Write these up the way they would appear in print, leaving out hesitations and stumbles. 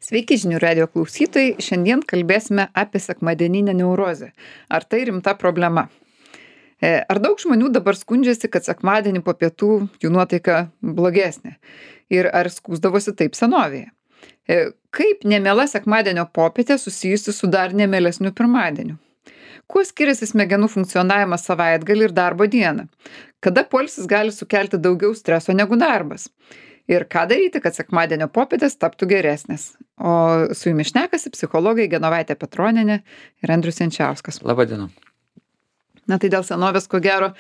Sveiki žinių radio klausytojai, šiandien kalbėsime apie sekmadieninę neurozę. Ar tai rimta problema? Ar daug žmonių dabar skundžiasi, kad sekmadienį po pietų jų nuotaika blogesnė? Ir ar skųsdavosi taip senovėje? Kaip nemiela sekmadienio popietė susijusi su dar nemielesniu pirmadieniu? Kuo skiriasi smegenų funkcionavimas savaitgalį ir darbo dieną? Kada poilsis gali sukelti daugiau streso negu darbas? Ir ką daryti, kad sekmadienio popietės taptų geresnės? O su jumis šnekasi psichologai Genovaitė Petronienė ir Andrius Jančiauskas. Labą dieną. Na tai dėl senovės, ko gero,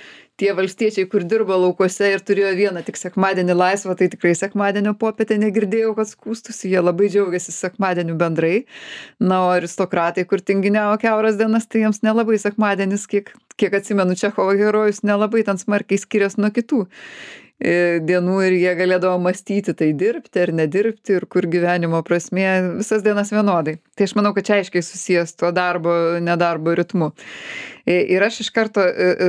tie valstiečiai, kur dirbo laukuose ir turėjo vieną tik sekmadienį laisvą, tai tikrai sekmadienio popietę negirdėjau, kad skūstųsi, jie labai džiaugiasi sekmadieniu bendrai. Na, o aristokratai, kur tinginiavo kiauras dienas, tai jiems nelabai sekmadienis, kiek atsimenu Čechovo herojus, nelabai ten smarkiai skiriasi nuo kitų dienų ir jie galėdavo mąstyti, tai dirbti ar nedirbti ir kur gyvenimo prasmė visas dienas vienodai. Tai aš manau, kad čia aiškiai susijęs tuo darbo, nedarbo ritmu. Ir aš iš karto,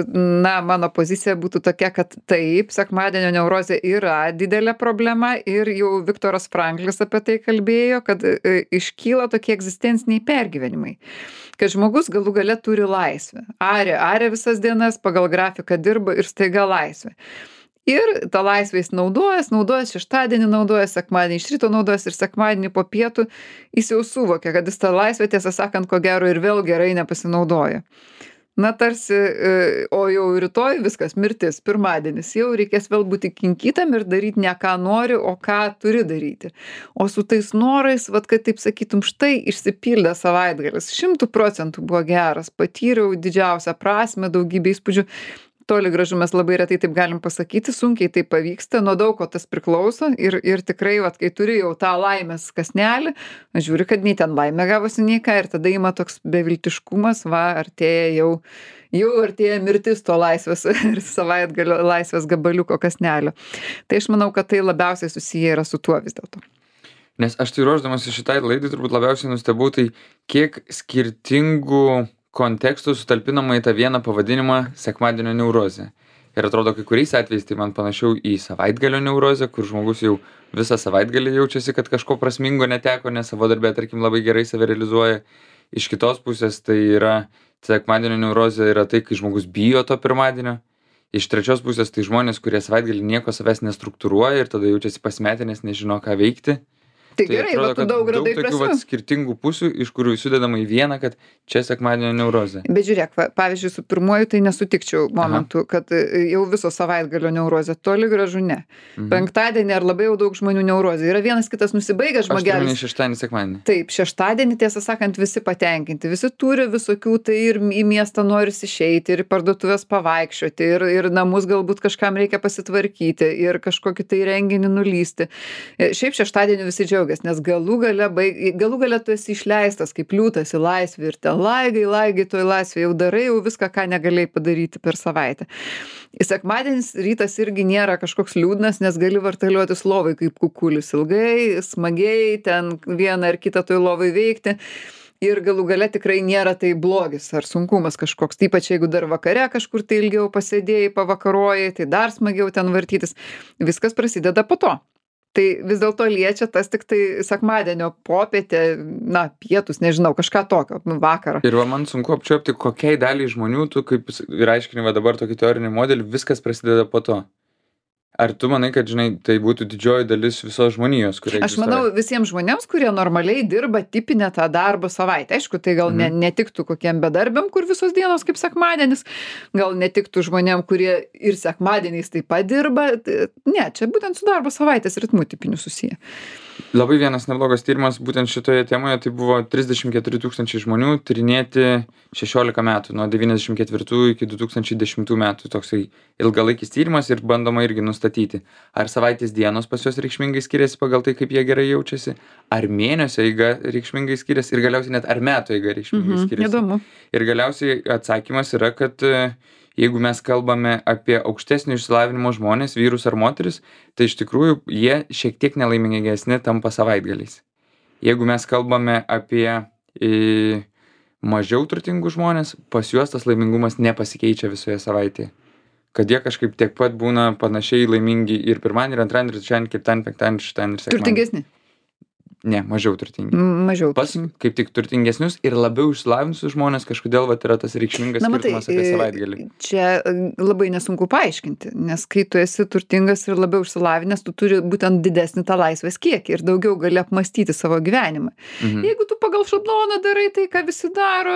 mano pozicija būtų tokia, kad taip, sekmadienio neurozė yra didelė problema ir jau Viktoras Franklis apie tai kalbėjo, kad iškyla tokie egzistenciniai pergyvenimai, kad žmogus galų gale turi laisvę. Arė visas dienas, pagal grafiką dirba ir staiga laisvė. Ir tą laisvę jis naudojas šeštadienį, naudojas sekmadienį iš ryto, naudojas ir sekmadienį po pietų, jis jau suvokia, kad jis tą laisvę, tiesą sakant, ko gero ir vėl gerai nepasinaudoja. Na tarsi, o jau rytoj viskas, mirtis, pirmadienis, jau reikės vėl būti kinkytam ir daryti ne ką nori, o ką turi daryti. O su tais norais, kad taip sakytum, štai išsipildė savaitgalis, 100% buvo geras, patyriau didžiausią prasmę, daugybę įspūdžių. Toli gražu mes labai retai taip galim pasakyti, sunkiai tai pavyksta, nuo daug ko tas priklauso ir tikrai, kai turi jau tą laimės kasnelį, žiūri, kad nei ten laimė gavosi nei ką ir tada ima toks beviltiškumas, artėja jau artėja mirtis to laisvės ir savaitgalio laisvės gabaliuko kasnelio. Tai aš manau, kad tai labiausiai susiję yra su tuo vis dėlto. Nes aš tai ruošdamas šitai laidai turbūt labiausiai nustebau, tai kiek skirtingų kontekstų sutalpinama į tą vieną pavadinimą sekmadienio neurozė. Ir atrodo, kai kuriais atvejais tai man panašiau į savaitgalio neurozę, kur žmogus jau visą savaitgalį jaučiasi, kad kažko prasmingo neteko, nes savo darbę, tarkim, labai gerai save realizuoja. Iš kitos pusės tai yra sekmadienio neurozė yra tai, kai žmogus bijo to pirmadienio. Iš trečios pusės tai žmonės, kurie savaitgalį nieko savęs nestruktūruoja ir tada jaučiasi pasimetę, nes nežino, ką veikti. Tai gerai, atrodo, tu daug radai tokių prasmių. skirtingų pusių, iš kurių sudedama į vieną, kad čia sekmadienio neurozė. Bet žiūrėk, pavyzdžiui, su pirmuoju tai nesutikčiau momentu, kad jau viso savaitgalio neurozė, toli gražu ne. Penktadienį ar labai jau daug žmonių neurozė. Yra vienas kitas nusibaigęs Aš turiu žmogelis. omeny šeštadienį, sekmadienį. Taip, šeštadienį, tiesą sakant, visi patenkinti, visi turi visokių, tai ir į miestą norisi išeiti, ir į parduotuvės pavaikščioti, ir namus galbūt kažkam reikia pasitvarkyti, ir kažkokį tai renginį nulysti. Šiaip šeštadienį visi džiaugiasi, nes galų gale tu esi išleistas kaip liūtas į laisvę ir ten laigai toj laisvė, jau darai jau viską, ką negalėjai padaryti per savaitę. Sekmadienis rytas irgi nėra kažkoks liūdnas, nes gali vartaliuotis lovai kaip kukulis ilgai, smagiai, ten vieną ar kitą toj lovai veikti. Ir galų gale tikrai nėra tai blogis ar sunkumas kažkoks. Ypač jeigu dar vakare kažkur tai ilgiau pasėdėjai, pavakarojai, tai dar smagiau ten vartytis. Viskas prasideda po to. Tai vis dėlto liečia tas tik tai sekmadienio popietę, pietus, nežinau, kažką tokio, vakarą. Ir man sunku apčiuopti, kokiai daliai žmonių tu, kaip ir aiškini dabar tokį teorinį modelį, viskas prasideda po to. Ar tu manai, kad, tai būtų didžioji dalis visos žmonijos, kurie Aš manau, visiems žmonėms, kurie normaliai dirba tipinę tą darbo savaitę. Aišku, tai gal netiktų kokiem bedarbiam, kur visos dienos kaip sekmadienis, gal netiktų žmonėm, kurie ir sekmadieniais taip pat dirba. Ne, čia būtent su darbo savaitės ritmu tipiniu susiję. Labai vienas neblogas tyrimas būtent šitoje temoje, tai buvo 34 000 žmonių tyrinėti 16 metų, nuo 94 iki 2010 metų. Toksai ilgalaikis tyrimas ir bandoma irgi nustatyti, ar savaitės dienos pas juos reikšmingai skiriasi pagal tai, kaip jie gerai jaučiasi, ar mėnesio eiga reikšmingai skiriasi ir galiausiai net ar metų eiga reikšmingai skiriasi. Įdomu. Ir galiausiai atsakymas yra, kad jeigu mes kalbame apie aukštesnio išsilavinimo žmonės, vyrus ar moteris, tai iš tikrųjų jie šiek tiek nelaimingesni tampa savaitgaliais. Jeigu mes kalbame apie mažiau turtingų žmonės, pas juos tas laimingumas nepasikeičia visoje savaitėje. Kad jie kažkaip tiek pat būna panašiai laimingi ir pirmadienį, ir antradienį, ir trečiadienį, ketvirtadienį, penktadienį, šeštadienį ir sekmadienį. Turtingesni. Ne, mažiau turtingi. Mažiau Pas turtingi. kaip tik turtingesnius ir labiau išsilavinusius žmones kažkodėl vat yra tas reikšmingas Na matai, skirtumas apie savaitgalį. čia labai nesunku paaiškinti, nes kai tu esi turtingas ir labiau išsilavinęs, tu turi būtent didesnį tą laisvės kiekį ir daugiau gali apmąstyti savo gyvenimą. Mhm. Jeigu tu pagal šabloną darai tai, ką visi daro,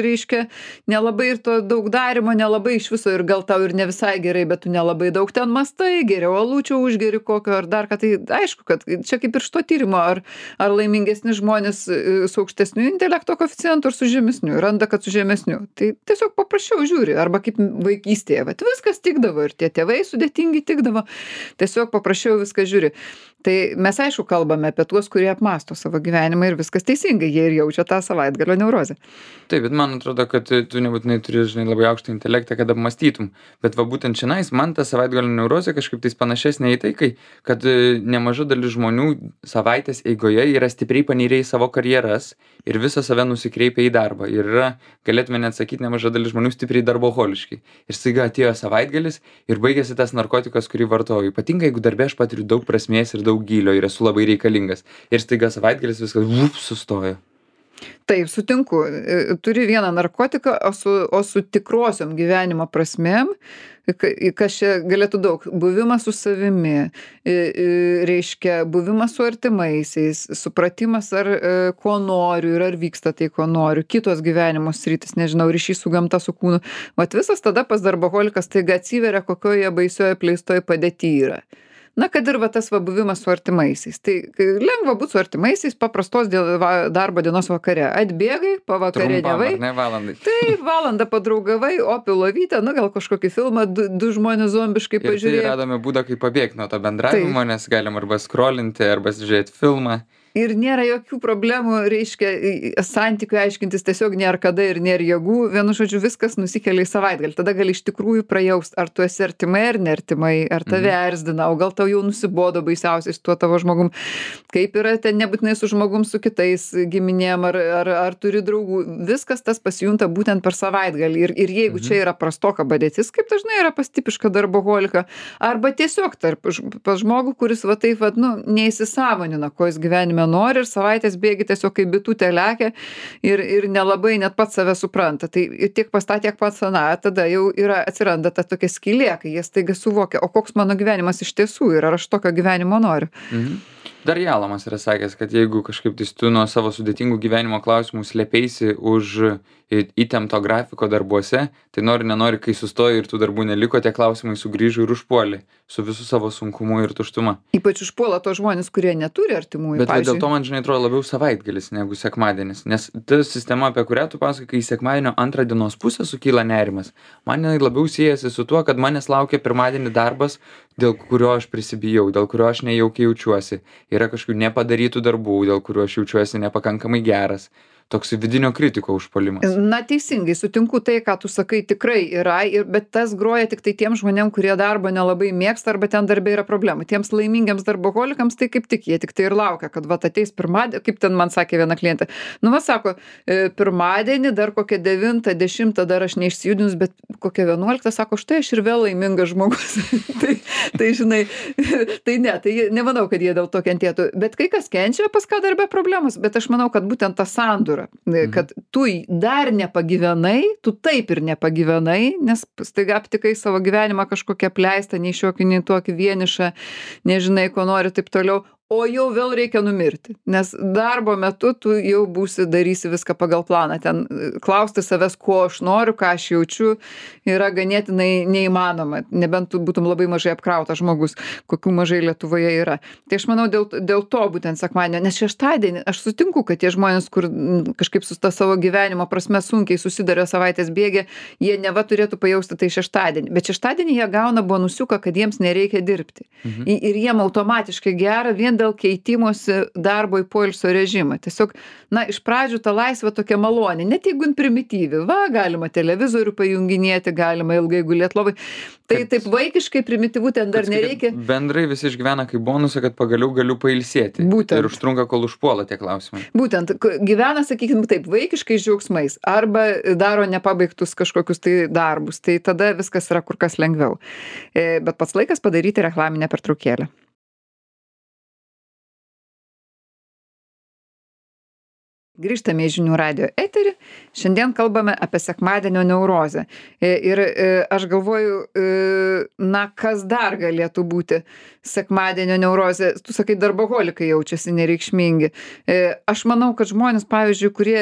reiškia, nelabai ir to daug darimo, nelabai iš viso ir gal tau ir ne visai gerai, bet tu nelabai daug ten mastai, geriau alučio užgeri kokio ar dar ką, tai aišku, kad čia kaip ir iš to tyrimo, ar laimingesni žmonės su aukštesniu intelekto koeficientu ar su žemesniu, randa, kad su žemesniu. Tai tiesiog paprasčiau žiūri, arba kaip vaikystėje, vat viskas tikdavo ir tie tėvai sudėtingi tikdavo, tiesiog paprasčiau viską žiūri. Tai mes aišku kalbame apie tuos, kurie apmąsto savo gyvenimą ir viskas teisingai, jie ir jaučia tą savaitgalio neurozę. Taip, bet man atrodo, kad tu nebūtinai turi, žinai, labai aukštą intelektą, kad apmąstytum. Bet va būtent čionais man ta savaitgalio neurozė kažkaip tais panašesnė į tai, kad nemaža dalis žmonių savaitės eigoje yra stipriai panirę į savo karjeras ir visą save nusikreipia į darbą. Ir yra, galėtume net sakyti, nemaža dalis žmonių stipriai darboholiški. Ir staiga atėjo savaitgalis ir baigėsi tas narkotikas, kurį vartoju. Ypatingai, jeigu darbė aš patiriu daug prasmės ir daug gylio ir esu labai reikalingas. Ir staiga savaitgalis viskas sustojo. Taip, sutinku. Turi vieną narkotiką, o su tikrosiom gyvenimo prasmėm, kas čia galėtų daug. Buvimas su savimi, reiškia, buvimas su artimaisiais, supratimas, ar ko noriu ir ar vyksta tai, ko noriu, kitos gyvenimo sritis, nežinau, ryšys su gamta, su kūnu. Vat visas tada pas darboholikas taiga atsiveria, kokioje baisioje pleistoje padėty yra. Na, kad ir va tas va buvimas su artimaisiais. Tai lengva būti su artimaisiais paprastos darbo dienos vakare. Atbėgai, pavakarieniavai. Trumpam, ar ne, valandai. Taip, valandą padraugavai, opi lovytę, nu gal kažkokį filmą, du žmonės zombiškai Ir tai pažiūrėjo. radome būdą, kaip pabėgti nuo to bendravimo, nes galim arba skrolinti, arba žiūrėti filmą. Ir nėra jokių problemų, reiškia, santykių aiškintis tiesiog nėra kada ir nėra jėgų. Vienu žodžiu, viskas nusikelia į savaitgalį. Tada gali iš tikrųjų prajaust, ar tu esi artimai ar neartimai, ar tave erzdina, o gal tau jau nusibodo baisiausiai su tuo tavo žmogum. Kaip yra ten nebūtinai su žmogum, su kitais giminėm, ar turi draugų. Viskas tas pasijunta būtent per savaitgalį. Ir jeigu čia yra prastoka padėtis, kaip dažnai yra pas tipišką darboholiką, arba tiesiog pas žmogų, kuris va taip, va, nu, neįsisąmonina, ko jis gyvenime nori ir savaitės bėgi tiesiog kaip bitutė lekia ir nelabai net pats save supranta. Tai tiek pas tą, tiek pats aną, tada jau atsiranda ta tokia skylė, kai jie staiga suvokia, o koks mano gyvenimas iš tiesų ir ar aš tokio gyvenimo noriu. Dar Jalamas yra sakęs, kad jeigu kažkaip tai tu nuo savo sudėtingų gyvenimo klausimų slėpeisi už įtempto grafiko darbuose, tai nenori, kai sustoji ir tų darbų neliko, tie klausimai sugrįžo ir užpuolė su visų savo sunkumu ir tuštuma. Ypač užpuola tos žmonės, kurie neturi artimųjų. Bet dėl to man, žinai, atrodo labiau savaitgalis negu sekmadienis, nes ta sistema, apie kurią tu pasakai, kai sekmadienio antrą dienos pusę sukyla nerimas, man labiau siejasi su tuo, kad manęs laukia pirmadienį darbas, dėl kurio aš prisibijau, dėl kurio aš nejaukiai jaučiuosi. Yra kažkokių nepadarytų darbų, dėl kurių aš jaučiuosi nepakankamai geras. Toks vidinio kritiko užpuolimas. Na, teisingai, sutinku tai, ką tu sakai, tikrai yra, bet tas groja tik tai tiem žmonėm, kurie darbo nelabai mėgsta arba ten darbė yra problemų. Tiems laimingiams darboholikams tai kaip tik, jie tik tai ir laukia, kad va ateis pirmadienį, kaip ten man sakė viena klientė. Nu, va sako, pirmadienį dar kokią 9, 10 dar aš neišsijudinus, bet kokią 11, sako, štai aš ir vėl laimingas žmogus. tai žinai, tai nemanau, kad jie dėl to kentėtų. Bet kai kas kenčia, pas ką darbė problemas, bet aš manau, kad būtent ta sandūra, kad tu dar nepagyvenai, tu taip ir nepagyvenai, nes staiga aptikai savo gyvenimą kažkokią apleistą, nei šiokį, nei tokį vienišą, nežinai, ko nori, taip toliau. O jau vėl reikia numirti, nes darbo metu tu jau darysi viską pagal planą. Ten klausti savęs, ko aš noriu, ką aš jaučiu, yra ganėtinai neįmanoma, nebent tu būtum labai mažai apkrautas žmogus, kokių mažai Lietuvoje yra. Tai aš manau, dėl to būtent sekmadienio, nes šeštadienį aš sutinku, kad tie žmonės, kur kažkaip su ta savo gyvenimo prasme sunkiai susiduria savaitės bėgė, jie neva turėtų pajausti tai šeštadienį. Bet šeštadienį jie gauna bonusiuką, kad jiems nereikia dirbti. Ir jiem automatiškai gera vien dėl keitimosi darbo į poilsio režimą. Tiesiog, na, iš pradžių ta laisvė tokia malonė, net jeigu primityvi. Va, galima televizorių pajunginėti, galima ilgai gulėti lovai. Tai taip vaikiškai primityvų ten dar nereikia. Bendrai visi išgyvena kaip bonusą, kad pagaliau galiu pailsėti. Būtent. Ir užtrunka, kol užpuola tie klausimai. Būtent. Gyvena, sakykime, taip, vaikiškais džiaugsmais. Arba daro nepabaigtus kažkokius tai darbus. Tai tada viskas yra kur kas lengviau. Bet pats laikas padaryti reklaminę pertraukėlę. Grįžtame į žinių radijo eterį. Šiandien kalbame apie sekmadienio neurozę. Ir aš galvoju, kas dar galėtų būti sekmadienio neurozė. Tu sakai, darboholikai jaučiasi nereikšmingi. Aš manau, kad žmonės, pavyzdžiui, kurie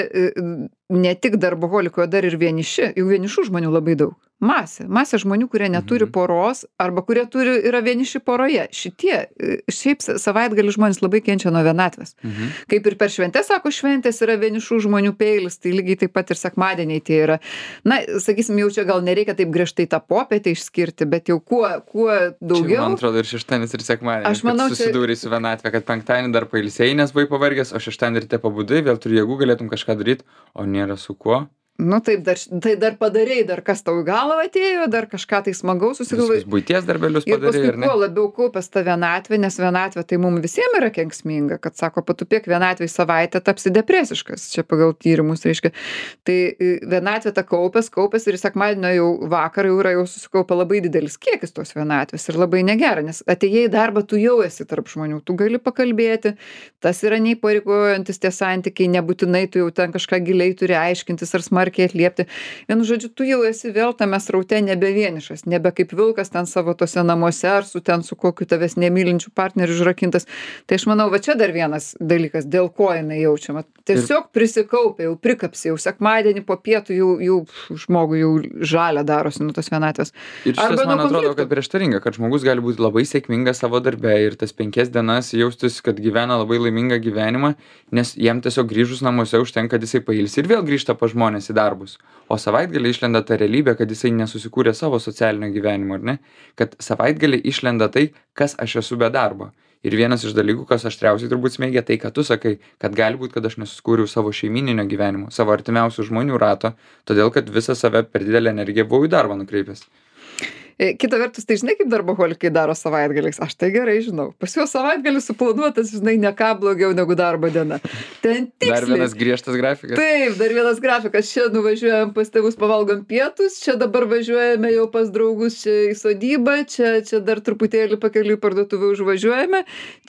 ne tik darboholikai, o dar ir vieniši, jau vienišų žmonių labai daug. Masė žmonių, kurie neturi poros arba kurie yra vieniši poroje. Šiaip savaitgalį žmonės labai kenčia nuo vienatvės. Kaip ir per šventės, sako, šventės yra vienišų žmonių peilis, tai lygiai taip pat ir sekmadieniai tie yra. Na, sakysim, jau čia gal nereikia taip griežtai tą popietę išskirti, bet jau kuo daugiau. Čia, man atrodo, ir šeštadienis, ir sekmadienis. Aš manau, susidūrei su vienatvė, kad penktadienį dar pailsėjai, nes buvai pavargęs, o šeštadienį ryte pabudai, vėl turi jėgų, galėtum kažką daryti, o nėra su kuo. Nu taip, tai dar padarei, dar kas tau į galvą atėjo, dar kažką tai smagaus susigalvojai. Visus buities darbelius padarei, ir paskui kuo labiau kaupęs tą vienatvę, nes vienatvė tai mums visiems yra kenksminga, kad sako, patupėk vienatvėj savaitę, tapsi depresiškas, čia pagal tyrimus reiškia. Tai vienatvė ta kaupęs ir sekmadienio jau vakarą jau susikaupia labai didelis kiekis tos vienatvės ir labai negera, nes atėjai į darbą, tu jau esi tarp žmonių, tu gali pakalbėti, tas yra neįpareigojantis tie santykiai, nebūtinai tu jau ten kažką giliai turi aiškintis ar smarkiai atliepti. Vienu žodžiu, tu jau esi vėl tame sraute nebe vienišas, nebe kaip vilkas ten savo tose namuose ar su kokiu tavęs nemylinčiu partneriu užrakintas. Tai aš manau, va čia dar vienas dalykas, dėl ko jinai jaučiama. Tiesiog prisikaupė, jau prikapsi, jau sekmadienį po pietų jau žmogui jau žalia darosi nuo tos vienatvės. Ir šitas man atrodo, kad prieštaringa, kad žmogus gali būti labai sėkmingas savo darbe ir tas 5 dienas jaustis, kad gyvena labai laimingą gyvenimą, nes jam tiesiog grįžus namuose užtenka, kad jisai pailsi ir vėl grįžta pas žmonės į darbus. O savaitgalį išlenda ta realybė, kad jisai nesusikūrė savo socialinio gyvenimo, ar ne? Kad savaitgalį išlenda tai, kas aš esu be darbo. Ir vienas iš dalykų, kas aštriausiai turbūt smeigia, tai, kad tu sakai, kad gali būti, kad aš nesusikūriau savo šeimininio gyvenimo, savo artimiausių žmonių rato, todėl, kad visą save per didelę energiją buvau į darbą nukreipęs. Kita vertus, tai žinai, kaip darboholikai daro savaitgaliais. Aš tai gerai žinau. Pas juos savaitgalis suplanuotas, žinai, ne ką blogiau negu darbo diena. Ten tiksliai. Dar vienas griežtas grafikas. Taip, dar vienas grafikas. Čia nuvažiuojam pas tėvus, pavalgom pietus, čia dabar važiuojame jau pas draugus čia į sodybą, čia dar truputėlį pakeliui parduotuvę užvažiuojame,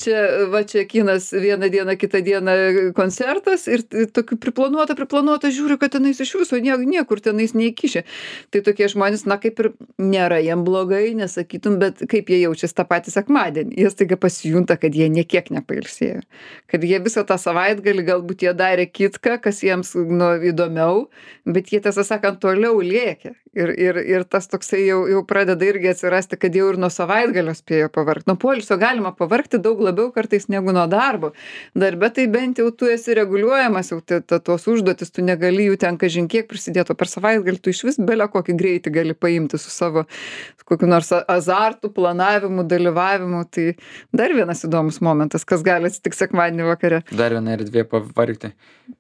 čia kinas vieną dieną, kitą dieną koncertas ir tokių priplanuota, žiūriu, kad tenais iš viso niekur tenais neįkišė. Tai tokie žmonės, kaip ir nėra jiem blogai, nesakytum, bet kaip jie jaučiasi tą patį sekmadienį. Jie staiga pasijunta, kad jie niekiek nepailsėjo. Kad jie visą tą savaitgalį galbūt jie darė kitką, kas jiems įdomiau, bet jie, tiesą sakant, toliau lėkė. Ir tas toksai jau pradeda irgi atsirasti, kad jau ir nuo savaitgalio spėjo pavargti. Nuo poilsio galima pavargti daug labiau kartais negu nuo darbo. Darbe tai bent jau tu esi reguliuojamas, jau tos užduotis, tu negali jų ten kažin kiek prisidėti, o per savaitgalį tu išvis belę kokį greitį gali paimti su savo kokiu nors azartu, planavimu, dalyvavimu. Tai dar vienas įdomus momentas, kas gali atsitikti sekmadienį vakare. Dar viena erdvė pavargti.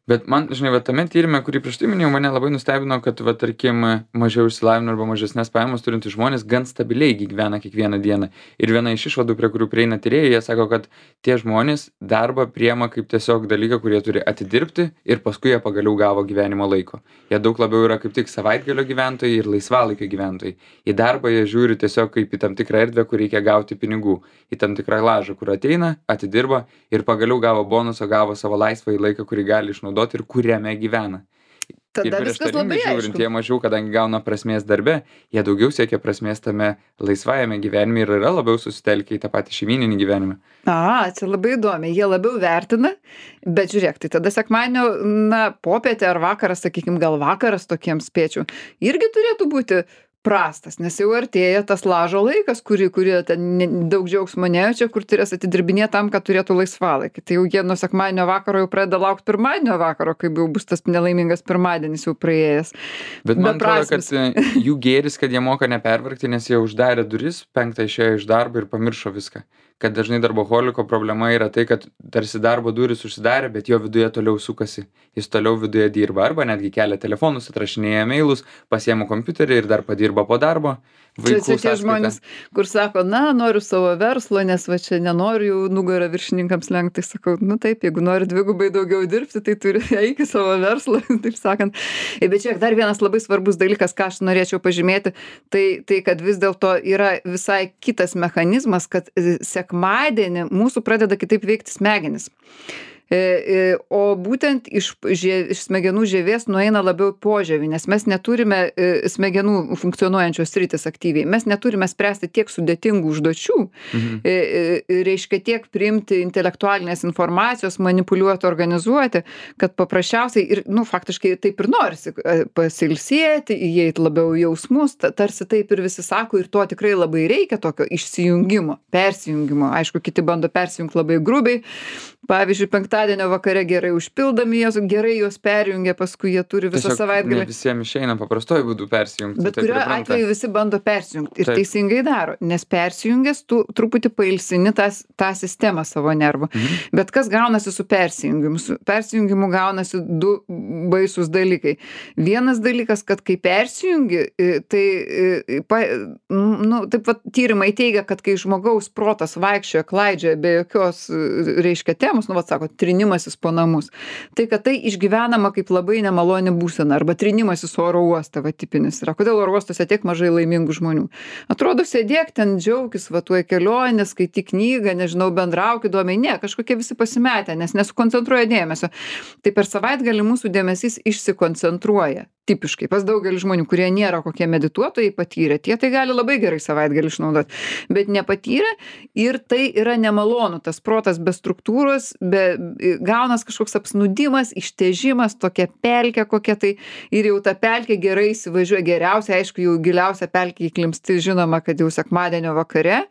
Bet man, žinai, tame tyrime, kurį prieš tai minėjau, mane labai nustebino, kad, tarkim, mažiau išsilavinę arba mažesnės pajamos turintys žmonės gan stabiliai gyvena kiekvieną dieną. Ir viena iš išvadų, prie kurių prieina tyrėjai, jie sako, kad tie žmonės darbą priema kaip tiesiog dalyką, kurie turi atidirbti ir paskui jie pagaliau gavo gyvenimo laiko. Jie daug labiau yra kaip tik savaitgalio gyventojai ir laisvalaikio gyventojai. Į darbą jie žiūri tiesiog kaip į tam tikrą erdvę, kur reikia gauti pinigų, į tam tikrą lažą, kur ateina, atidirba ir pagaliau gavo bonusą, gavo savo laisvąjį laiką, kurį gali išnaudoti ir kuriame gyvena. Tada viskas labai žiūrint, jie mažiau, kadangi gauna prasmės darbe, jie daugiau siekia prasmės tame laisvajame gyvenime ir yra labiau susitelkę į tą patį šeimyninį gyvenimą. Čia labai įdomi, jie labiau vertina, bet žiūrėk, tai tada sekmadienio, popietė ar vakaras, sakykim, gal vakaras tokiems spėčių, irgi turėtų būti prastas, nes jau artėja tas lažo laikas, kurie ten daug džiaugsmo nejaučia, kur turės atidirbinėti tam, kad turėtų laisvalaikį. Tai jau jie nuo sekmadienio vakaro jau pradeda laukti pirmadienio vakaro, kai jau bus tas nelaimingas pirmadienis jau praėjęs. Bet man atrodo, kad jų gėris, kad jie moka nepervargti, nes jie uždarė duris, 5 išėjo iš darbo ir pamiršo viską. Kad dažnai darboholiko problema yra tai, kad tarsi darbo duris užsidarė, bet jo viduje toliau sukasi. Jis toliau viduje dirba arba netgi kelia telefonus, atrašinėja mailus, pasiema kompiuterį ir dar padirba po darbo. Čia tie žmonės, kur sako, noriu savo verslo, nes va čia nenoriu jau nugarą viršininkams lenkti. Sakau, taip, jeigu nori dvigubai daugiau dirbti, tai turi eiti savo verslą, taip sakant. Bet čia dar vienas labai svarbus dalykas, ką aš norėčiau pažymėti, tai kad vis dėlto yra visai kitas mechanizmas, kad sekmadienį mūsų pradeda kitaip veikti smegenys. O būtent iš smegenų žievės nueina labiau į požievį, nes mes neturime smegenų funkcionuojančios sritys aktyviai. Mes neturime spręsti tiek sudėtingų užduočių, Mhm. reiškia tiek priimti intelektualinės informacijos, manipuliuoti, organizuoti, kad paprasčiausiai ir, nu, faktiškai taip ir norisi pasilsėti, įeiti labiau į jausmus, tarsi taip ir visi sako, ir to tikrai labai reikia, tokio išsijungimo, persijungimo. Aišku, kiti bando persijungti labai grubiai. Pavyzdžiui, penktadienio vakare gerai užpildomi, gerai juos perjungia, paskui jie turi visą Tiesiog savaitgalį. ne visiems išeina paprastuoju būdu persijungti. Bet tai kuriuo pripranta. atveju visi bando persijungti ir Taip. teisingai daro, nes persijungęs tu truputį pailsini tą sistemą savo nervų. Bet kas gaunasi su persijungimu? Su persijungimu gaunasi du baisūs dalykai. Vienas dalykas, kad kai persijungi, tai nu, taip pat tyrimai teigia, kad kai žmogaus protas vaikščioja, klaidžioja be jokios, reiškia, temos, nu, vat sako, trinimasis po namus, tai kad tai išgyvenama kaip labai nemaloni būsena, arba trinimasis oro uoste, va tipinis yra. Kodėl oro uostuose tiek mažai laimingų žmonių? Atrodo, sėdėk ten, džiaukis, va tuoj kelionė, skaityk knygą, nežinau, bendrauk įdomiai. Ne, kažkokie visi pasimetę, nes nesukoncentruoja dėmesio. Tai per savaitgalį mūsų dėmesys išsikoncentruoja. Tipiškai pas daugelį žmonių, kurie nėra kokie medituotojai patyrę, tie tai gali labai gerai savaitgalį išnaudoti, bet nepatyrę ir tai yra nemalonu, tas protas be struktūros, gaunas kažkoks apsnūdimas, ištėžimas, tokia pelkė kokia tai ir jau ta pelkė gerai įsivažiuoja, geriausia, aišku, jau giliausia pelkė įklimpsti, žinoma, kad jau sekmadienio vakare.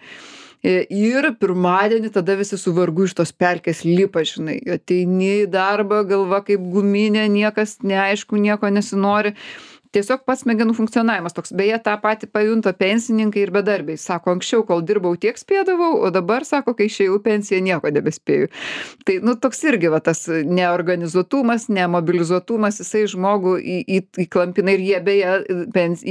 Ir pirmadienį tada visi su vargu iš tos pelkės lipa, žinai, ateini į darbą, galva kaip guminė, niekas neaišku, nieko nesinori. Tiesiog pats smegenų funkcionavimas toks. Beje, tą patį pajunta pensininkai ir bedarbiai. Sako, anksčiau, kol dirbau, tiek spėdavau, o dabar, sako, kai išėjau pensiją, nieko nebespėju. Tai, nu, toks irgi va, tas neorganizuotumas, nemobilizuotumas, jisai žmogų įklampina ir jie, beje,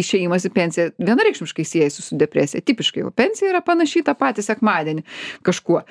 išėjimas į pensiją vienareikšmiškai siejasi su depresija. Tipiškai, o pensija yra panašiai tą patį sekmadienį kažkuo.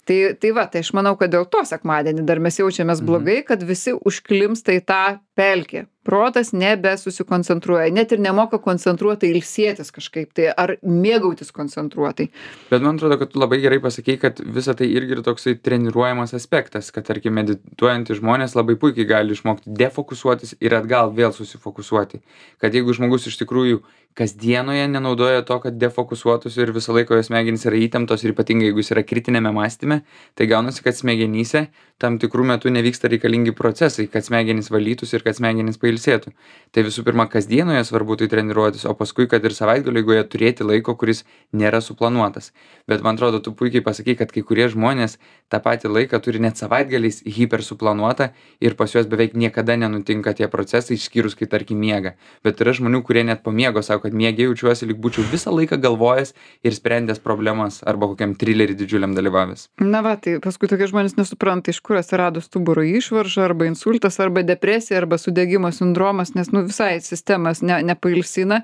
Tai va, tai aš manau, kad dėl to sekmadienį dar mes jaučiamės blogai, kad visi užklimsta į tą pelkę. Protas nebesusikoncentruoja, net ir nemoka koncentruotai ilsėtis kažkaip tai, ar mėgautis koncentruotai. Bet man atrodo, kad tu labai gerai pasakei, kad visa tai irgi yra toksai treniruojamas aspektas, kad, tarkim, medituojantys žmonės labai puikiai gali išmokti defokusuotis ir atgal vėl susifokusuoti. Kad jeigu žmogus iš tikrųjų kasdienoje nenaudoja to, kad defokusuotųsi ir visą laiką jo smegenys yra įtemptos ir ypatingai jeigu jis yra kritinėme mąstyme, tai gaunasi, kad smegenyse tam tikrų metų nevyksta reikalingi procesai, kad smegenys valytųsi ir kad smegenys pailsėtų. Tai visų pirma, kasdienoje svarbu tai treniruotis, o paskui, kad ir savaitgalio eigoje turėti laiko, kuris nėra suplanuotas. Bet man atrodo, tu puikiai pasakai, kad kai kurie žmonės tą patį laiką turi net savaitgaliais hipersuplanuotą ir pas juos beveik niekada nenutinka tie procesai, išskyrus kai tarkim miega. Bet yra žmonių, kurie net po miego sako, kad miege jaučiuosi, lyg būčiau visą laiką galvojęs ir sprendęs problemas arba kokiam trilerį didžiuliam dalyvavęs. Na va, tai paskui tokie žmonės nesupranta, iš kur atsirado stuburo išvarža, arba insultas, arba depresija, arba sudegimo sindromas, nes nu visai sistemas nepailsina.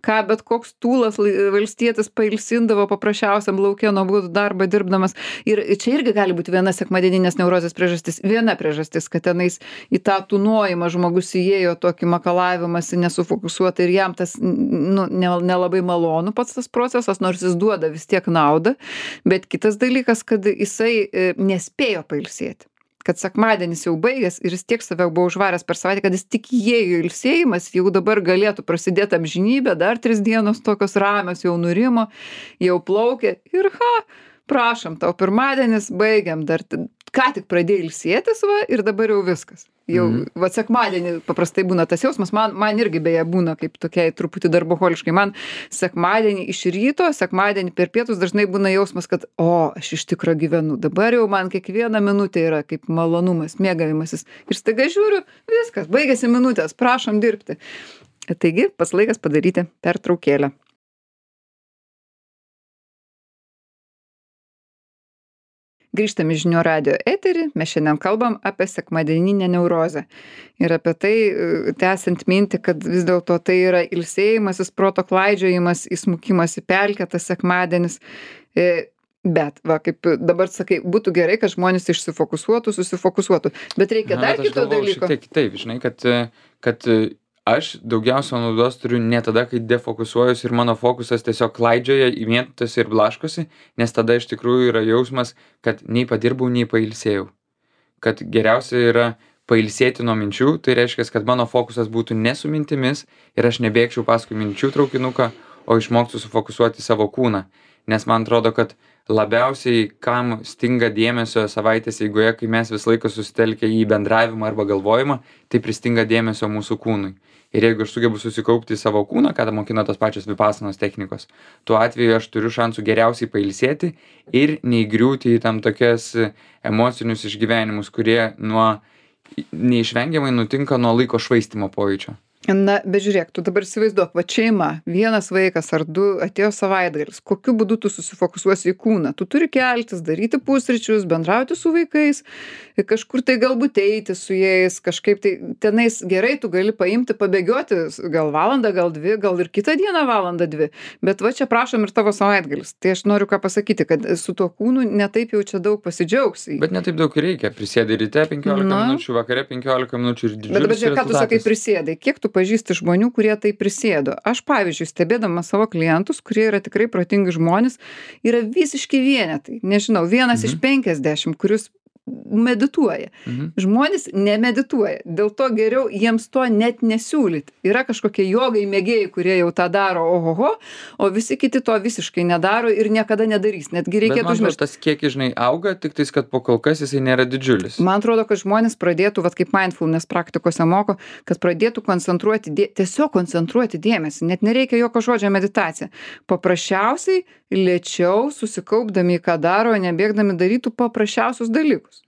Ką bet koks tūlas valstietis pailsindavo paprasčiausiam lauke nuobodų darbą dirbdamas. Ir čia irgi gali būti viena sekmadieninės neurozės priežastis. Viena priežastis, kad tenais į tą tūnojimą žmogus įėjo tokį makalavimąsi nesufokusuotą ir jam tas nu, nelabai malonu pats tas procesas, nors jis duoda vis tiek naudą. Bet kitas dalykas, kad jisai nespėjo pailsėti. Kad sekmadienis jau baigęs ir jis tiek save buvo užvaręs per savaitę, kad jis tik įėjo ilsėjimas, jau dabar galėtų prasidėti amžinybė, dar 3 dienos tokios ramios, jau nurimo, jau plaukė ir prašom, tau pirmadienis, baigiam, dar ką tik pradėjai ilsėtis va ir dabar jau viskas. Jau, va sekmadienį paprastai būna tas jausmas, man irgi beje būna kaip tokiai truputį darboholiškai, man sekmadienį iš ryto, sekmadienį per pietus dažnai būna jausmas, kad aš iš tikro gyvenu, dabar jau man kiekviena minutė yra kaip malonumas, mėgavimasis ir staiga žiūriu, viskas, baigėsi minutės, prašom dirbti. Taigi, pats laikas padaryti pertraukėlę. Grįžtam į Žinių radijo eterį, mes šiandien kalbam apie sekmadieninę neurozę. Ir apie tai, tęsiant mintį, kad vis dėlto tai yra ilsėjimasis, proto klaidžiojimas, įsmukimas į pelkę, tas sekmadienis. Bet, va, kaip dabar sakai, būtų gerai, kad žmonės išsifokusuotų, susifokusuotų. Bet reikia dar kito dalyko. Taip, žinai, kad aš daugiausia naudos turiu ne tada, kai defokusuojuosi ir mano fokusas tiesiog klaidžioja, įmėtosi ir blaškosi, nes tada iš tikrųjų yra jausmas, kad nei padirbau, nei pailsėjau. kad geriausia yra pailsėti nuo minčių, tai reiškia, kad mano fokusas būtų ne su mintimis ir aš nebėgčiau paskui minčių traukinuką, o išmoktų sufokusuoti savo kūną. Nes man atrodo, kad labiausiai kam stinga dėmesio savaitės eigoje, kai mes visą laiką susitelkę į bendravimą arba galvojimą, tai pristinga dėmesio mūsų kūnui. Ir jeigu aš sugebu susikaupti į savo kūną, kada mokina tos pačios vipasanos technikos, tuo atveju aš turiu šansų geriausiai pailsėti ir neįgriūti į tam tokias emocinius išgyvenimus, kurie neišvengiamai nutinka nuo laiko švaistymo pojūčio. Na, bet žiūrėk, tu dabar įsivaizduok, va šeima, vienas vaikas ar du atėjo savaitgalis, kokiu būdu tu susifokusuosi į kūną. Tu turi keltis, daryti pusryčius, bendrauti su vaikais, kažkur tai galbūt eiti su jais, kažkaip tai tenais gerai tu gali paimti, pabėgioti gal valandą, gal dvi, gal ir kitą dieną valandą dvi. Bet va čia prašom ir tavo savaitgalis. Tai aš noriu ką pasakyti, kad su tuo kūnu netaip jau čia daug pasidžiaugsi. Bet netaip daug reikia. Prisėdai ryte 15 minučių, vakare 15 minučių ir didžiulis Bet ką tu sakai prisėdai? Kiek tu pažįsti žmonių, kurie tai prisėdo? Aš, pavyzdžiui, stebėdama savo klientus, kurie yra tikrai protingi žmonės, yra visiški vienetai. Nežinau, vienas iš 50, kuris medituoja. Žmonės nemedituoja. Dėl to geriau jiems to net nesiūlyti. Yra kažkokie jogai mėgėjai, kurie jau tą daro, ohoho, o visi kiti to visiškai nedaro ir niekada nedarys. Netgi reikėtų užmiršti. Tas kiekis, žinai, auga, tik tais, kad po kol kas jisai nėra didžiulis. Man atrodo, kad žmonės pradėtų, vat kaip mindfulness praktikose moko, kad pradėtų tiesiog koncentruoti dėmesį. Net nereikia jokio žodžio meditacija. Paprasčiausiai, lėčiau, susikaupdami į ką daro, nebėgdami darytų paprasčiausius dalykus.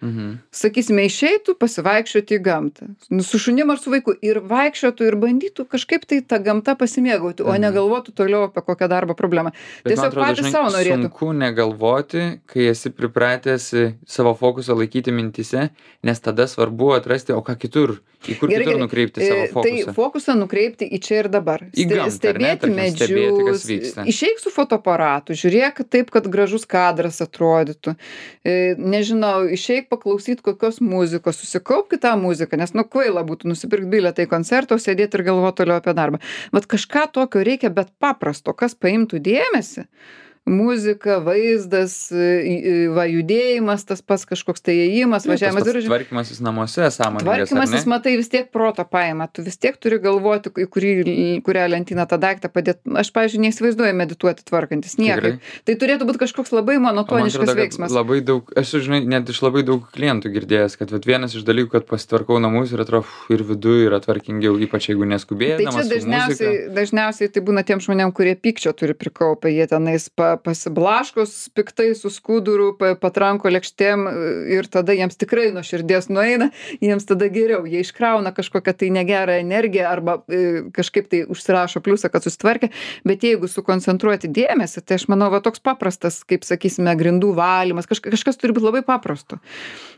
Sakysime, išeitų pasivaikščioti į gamtą. Su šunim ar su vaiku. Ir vaikščiotų ir bandytų kažkaip tai tą gamtą pasimėgauti, o negalvotų toliau apie kokią darbo problemą. Bet tiesiog patys savo norėtų. Sunku negalvoti, kai esi pripratęs savo fokusą laikyti mintise, nes tada svarbu atrasti, o ką kitur, į kur kitur nukreipti savo fokusą. Tai fokusą nukreipti į čia ir dabar. Į gamtą, stebėti medžius, išeik su fotoaparatu, žiūrėk taip, kad gražus kadras atrodytų. Nežinau, išeik paklausyti kokios muzikos, susikaupk tą muziką, nes kvaila būtų nusipirkti bilietą į koncertą, sėdėti ir galvoti toliau apie darbą. Vat kažką tokio reikia, bet paprasto, kas paimtų dėmesį. Muzika, vaizdas, judėjimas, tas pats kažkoks tai ėjimas, važiavimas ir tvarkymasis namuose, sąmoningas, tvarkymasis, matai, vis tiek proto paima, tu vis tiek turi galvoti, į kurią lentyną tą daiktą padėti. Aš, pavyzdžiui, neįsivaizduoju medituoti tvarkantis, niekaip. Tai turėtų būti kažkoks labai monotoniškas veiksmas. Labai daug, esu, žinai, net iš labai daug klientų girdėjęs, kad vienas iš dalykų, kad pasitvarkau namus ir atrodo, ir viduje yra tvarkingiau, ypač jeigu neskubėdamas. Tai čia dažniausiai tai būna tiem žmonėm, kurie pykčio turi prikaupę, jie tenais pasiblaškos piktai su skuduru, patranko lėkštėm ir tada jiems tikrai nuo širdies nueina, jiems tada geriau, jie iškrauna kažkokią tai negerą energiją arba kažkaip tai užsirašo pliusą, kad susitvarkė, bet jeigu sukoncentruoti dėmesį, tai aš manau, va toks paprastas, kaip sakysime, grindų valymas, kažkas turi būti labai paprasto.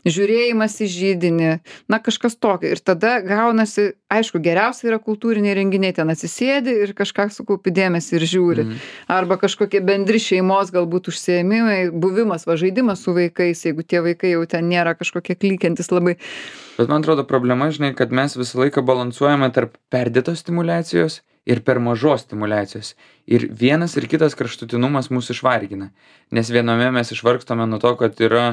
Žiūrėjimas į židinį, kažkas tokio. Ir tada gaunasi, aišku, geriausia yra kultūriniai renginiai, ten atsisėdi ir kažką sukaupi dėmesį ir žiūri. Arba kažkokie bendri šeimos galbūt užsiėmimai, buvimas, žaidimas su vaikais, jeigu tie vaikai jau ten nėra kažkokie klykiantis labai. Bet man atrodo problema, žinai, kad mes visą laiką balansuojame tarp perdėtos stimulacijos ir per mažos stimulacijos. Ir vienas ir kitas kraštutinumas mūsų išvargina. Nes viename mes išvargstame nuo to, kad yra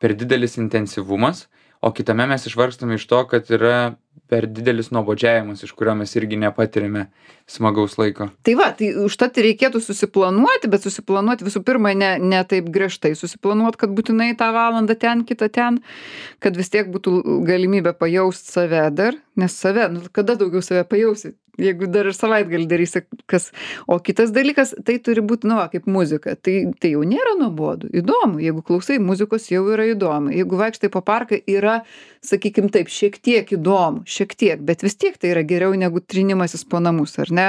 per didelis intensyvumas, o kitame mes išvargstame iš to, kad yra per didelis nuobodžiavimas, iš kurio mes irgi nepatirime smagaus laiko. Tai va, tai užtat reikėtų susiplanuoti, bet susiplanuoti visų pirma ne taip griežtai susiplanuoti, kad būtinai tą valandą ten, kitą ten, kad vis tiek būtų galimybė pajausti save dar, nes save, kada daugiau save pajausi, jeigu dar ir savaitgalį darysi kas. O kitas dalykas, tai turi būti, kaip muzika. Tai jau nėra nuobodu, įdomu. Jeigu klausai muzikos, jau yra įdomu. Jeigu vaikštai po parką, yra, sakykim taip, šiek tiek įdomu, bet vis tiek tai yra geriau negu trinimasis po namus, ar ne?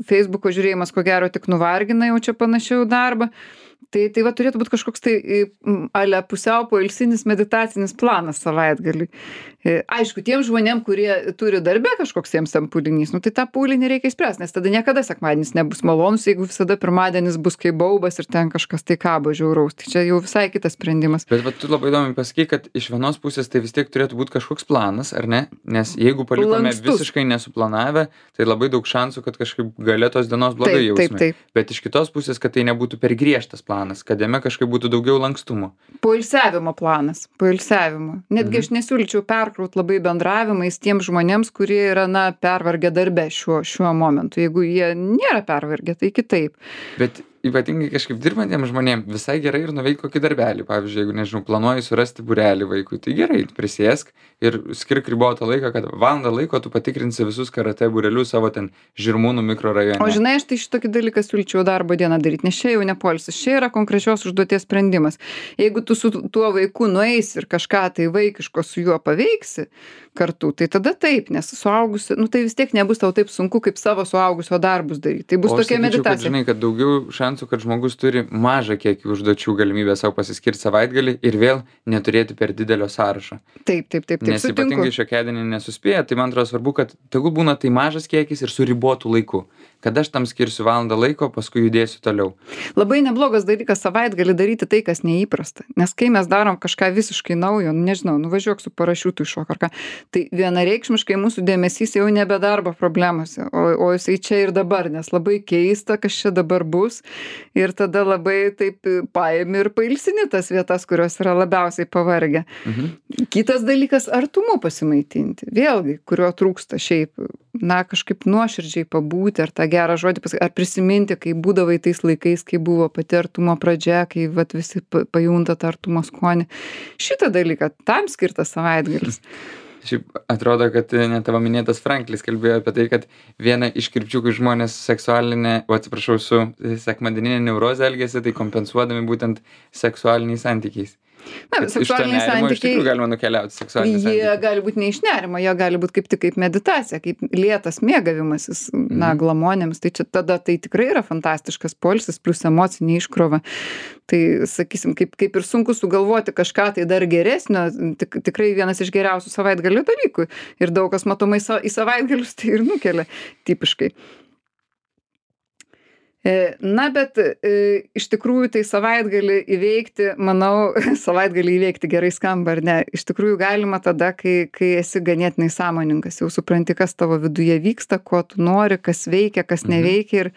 Facebooko žiūrėjimas, ko gero, tik nuvargina jau čia panašiau darbą. Tai va turėtų būti kažkoks tai ale pusiau poilsinis meditacinis planas savaitgaliui. Aišku, tiem žmonėm, kurie turi darbe kažkoks jiems tam pūlinys, tai tą pūlinį reikia išspręsti, nes tada niekada sekmadienis nebus malonus, jeigu visada pirmadienis bus kaip baubas ir ten kažkas tai kabo žiauraus. Tai čia jau visai kitas sprendimas. Bet tu labai įdomiai pasakai, kad iš vienos pusės tai vis tiek turėtų būti kažkoks planas, ar ne? Nes jeigu palikome visiškai nesuplanavę, tai labai daug šansų, kad kažkaip gale tos dienos blogai jausime. Bet iš kitos pusės, kad tai nebūtų per griežtas planas. planas, kad jame kažkaip būtų daugiau lankstumo. Poilsiavimo planas, poilsiavimo. Netgi aš nesiūlyčiau perkraut labai bendravimais tiems žmonėms, kurie yra, na, pervargę darbe šiuo momentu. Jeigu jie nėra pervargę, tai kitaip. Bet ypatingai kažkaip dirbantiem žmonėm visai gerai ir nuveikt kokį darbelį. Pavyzdžiui, jeigu, nežinau, planuoji surasti būrelį vaikui, tai gerai, prisėsk ir skirk ribotą laiką, kad valandą laiko tu patikrinsi visus karate būrelius savo ten Žirmūnų mikrorajone. O žinai, aš tai šitokį dalyką siūlyčiau darbo dieną daryti, nes čia jau ne poilsis, čia yra konkrečios užduoties sprendimas. Jeigu tu su tuo vaiku nueisi ir kažką tai vaikiško su juo paveiksi kartu, tai tada taip, nes suaugusi, nu tai vis tiek nebus tau taip sunku, kaip savo suaugusio darbus daryti. Tai bus tokia meditacija. Kad, žinai, kad daugiau šansų, kad žmogus turi mažą kiekį užduočių galimybę savo pasiskirti savaitgalį ir vėl neturėti per didelio sąrašo. Taip, Nes sutinku. ypatingai šiokiadienį nesuspėja, tai man atrodo svarbu, kad tegul būna tai mažas kiekis ir su ribotu laiku. Kad aš tam skirsiu valandą laiko, paskui judėsiu toliau. Labai neblogas dalykas savaitgalį daryti tai, kas neįprasta. Nes kai mes darom kažką visiškai naujo, nežinau, nuvažiuok su parašiutu iš šok ar ką, tai vienareikšmiškai mūsų dėmesys jau nebe darbo problemose, o jisai čia ir dabar, nes labai keista, kas čia dabar bus. Ir tada labai taip paimi ir pailsini tas vietas, kurios yra labiausiai pavargę. Kitas dalykas, artumu pasimaitinti. Vėlgi, kurio trūksta šiaip, na, kažkaip nuoširdžiai pabūti, ar tą gerą žodį pasakyti, ar prisiminti, kai būdavai tais laikais, kai buvo pati artumo pradžia, kai vat, visi pajunta tą artumo skonį. Šitą dalyką, tam skirtas savaitgalis. Šiaip atrodo, kad net tavo minėtas Franklis kalbėjo apie tai, kad viena iš krypčių, kai žmonės su sekmadieninė neurozė elgiasi, tai kompensuodami būtent seksualiniais santykiais. Na, seksualiniai santykiai. Iš tikrųjų galima nukeliauti seksualiniai santykiai. Jie gali būti ne iš nerimo, jie gali būti kaip tik kaip meditacija, kaip lėtas mėgavimasis, na, glamonėms. Tai čia tada tai tikrai yra fantastiškas poilsis, plus emocinė iškrova. Tai, sakysim, kaip ir sunku sugalvoti kažką tai dar geresnio, tikrai vienas iš geriausių savaitgalio dalykų. Ir daug kas matomai į savaitgalius tai ir nukelia tipiškai. Na, bet iš tikrųjų tai savaitgalį įveikti, manau, savaitgalį įveikti gerai skamba ar ne, iš tikrųjų galima tada, kai esi ganėtinai sąmoningas, jau supranti, kas tavo viduje vyksta, ko tu nori, kas veikia, kas neveikia ir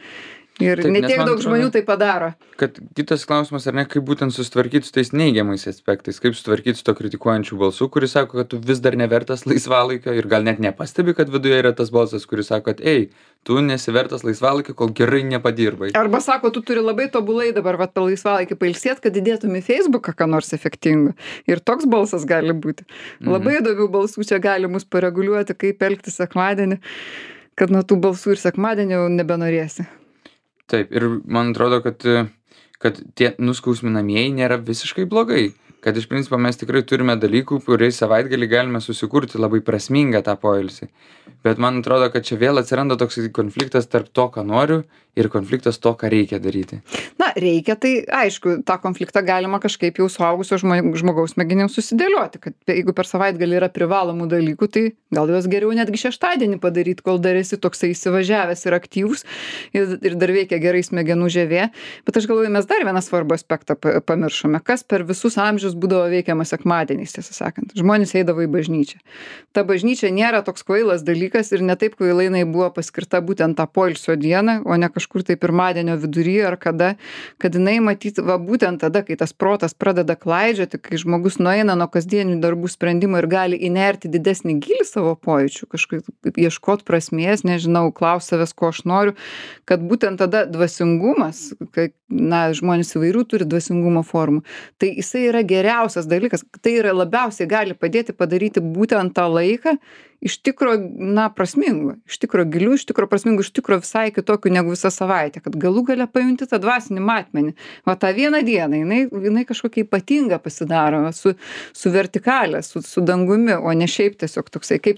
Taip, netiek daug žmonių tai padaro. Kad kitas klausimas, ar ne, kaip būtent susitvarkyti su tais neigiamais aspektais, kaip susitvarkyti su to kritikuojančiu balsu, kuris sako, kad tu vis dar nevertas laisvalaikio ir gal net nepastebi, kad viduje yra tas balsas, kuris sako, kad ei, tu nesivertas laisvalaikio, kol gerai nepadirbai. Arba sako, tu turi labai tobulai dabar vat laisvalaikį pailsėt, kad įdėtum į Facebooką ką nors efektingo. Ir toks balsas gali būti. Labai įdomių balsų čia gali mus pareguliuoti, kaip elgtis sekmadienį, kad nuo tų balsų ir sekmadienį jau nebenorėsi. Taip, ir man atrodo, kad tie nuskausminamieji nėra visiškai blogai. Kad iš principo mes tikrai turime dalykų, kuriais savaitgalį galime susikurti labai prasmingą tą poilsį. Bet man atrodo, kad čia vėl atsiranda toks konfliktas tarp to, ką noriu, ir konfliktas to, ką reikia daryti. Na, reikia, tai aišku, tą konfliktą galima kažkaip jau suaugusio žmogaus smegenims susidėlioti, kad jeigu per savaitgalį yra privalomų dalykų, tai gal juos geriau netgi šeštadienį padaryti, kol dar esi toksai įsivažiavęs ir aktyvus ir dar veikia gerai smegenų žievė. Bet aš galvoju, mes dar vieną svarbų aspektą pamiršome, kas per visus amžius būdavo veikiama sekmadieniais, tiesą sakant. Žmonės eidavo į bažnyčią. Ta bažnyčia nėra toks kvailas dalykas ir ne taip kvailai jinai buvo paskirta būtent tą poilsio dieną, o ne kažkur tai pirmadienio vidury ar kada, kad jinai matyti, va būtent tada, kai tas protas pradeda klaidžioti, kai žmogus nueina nuo kasdienių darbų sprendimo ir gali įnerti didesnį gilį savo pojūčių, kažkaip ieškot prasmės, nežinau, klaus savęs, ko aš noriu, kad būtent tada dvasingumas, kai, na, žmonės įvairių turi dvasingumo formų, tai jisai yra geriausias dalykas, tai yra labiausiai gali padėti padaryti būtent tą laiką iš tikro, na, prasmingo, iš tikro gilių, iš tikro prasmingo, iš tikro visai kitokių negu visą savaitę, kad galų gale pajunti tą dvasinį matmenį. Va tą vieną dieną, jinai kažkokia ypatinga pasidaro, su vertikalė, su dangumi, o ne šiaip tiesiog toksai, kaip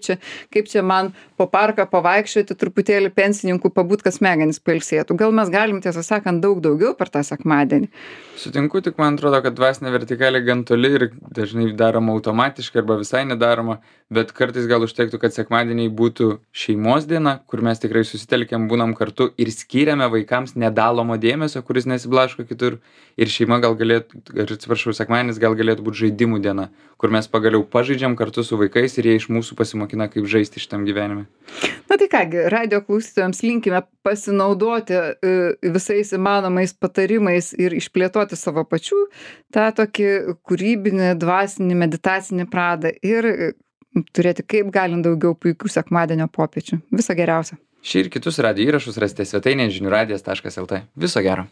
čia man po parką pavaikščioti, truputėlį pensininkų pabūt, kad smegenys pailsėtų. Gal mes galim, tiesą sakant, daug daugiau per tą sekmadienį. Sutinku, tik man atrodo, kad dvasinė vertikalė gan toli ir dažnai daroma automatiškai arba visai nedaroma, bet kartais gal užteks siektų, kad sekmadieniai būtų šeimos diena, kur mes tikrai susitelkiam, būnam kartu ir skiriame vaikams nedalomo dėmesio, kuris nesiblaško kitur. Ir šeima gal galėtų, sekmadienis gal galėtų būti žaidimų diena, kur mes pagaliau pažaidžiam kartu su vaikais ir jie iš mūsų pasimokina, kaip žaisti šitam gyvenime. Na tai kągi, radijo klausytojams linkime pasinaudoti visais įmanomais patarimais ir išplėtoti savo pačių tą tokį kūrybinį, dvasinį, meditacinį pradą ir turėti kaip galint daugiau puikių sekmadienio popiečių. Viso geriausio. Šį ir kitus radijo įrašus rasite svetainėje žiniųradijas.lt. Viso gero.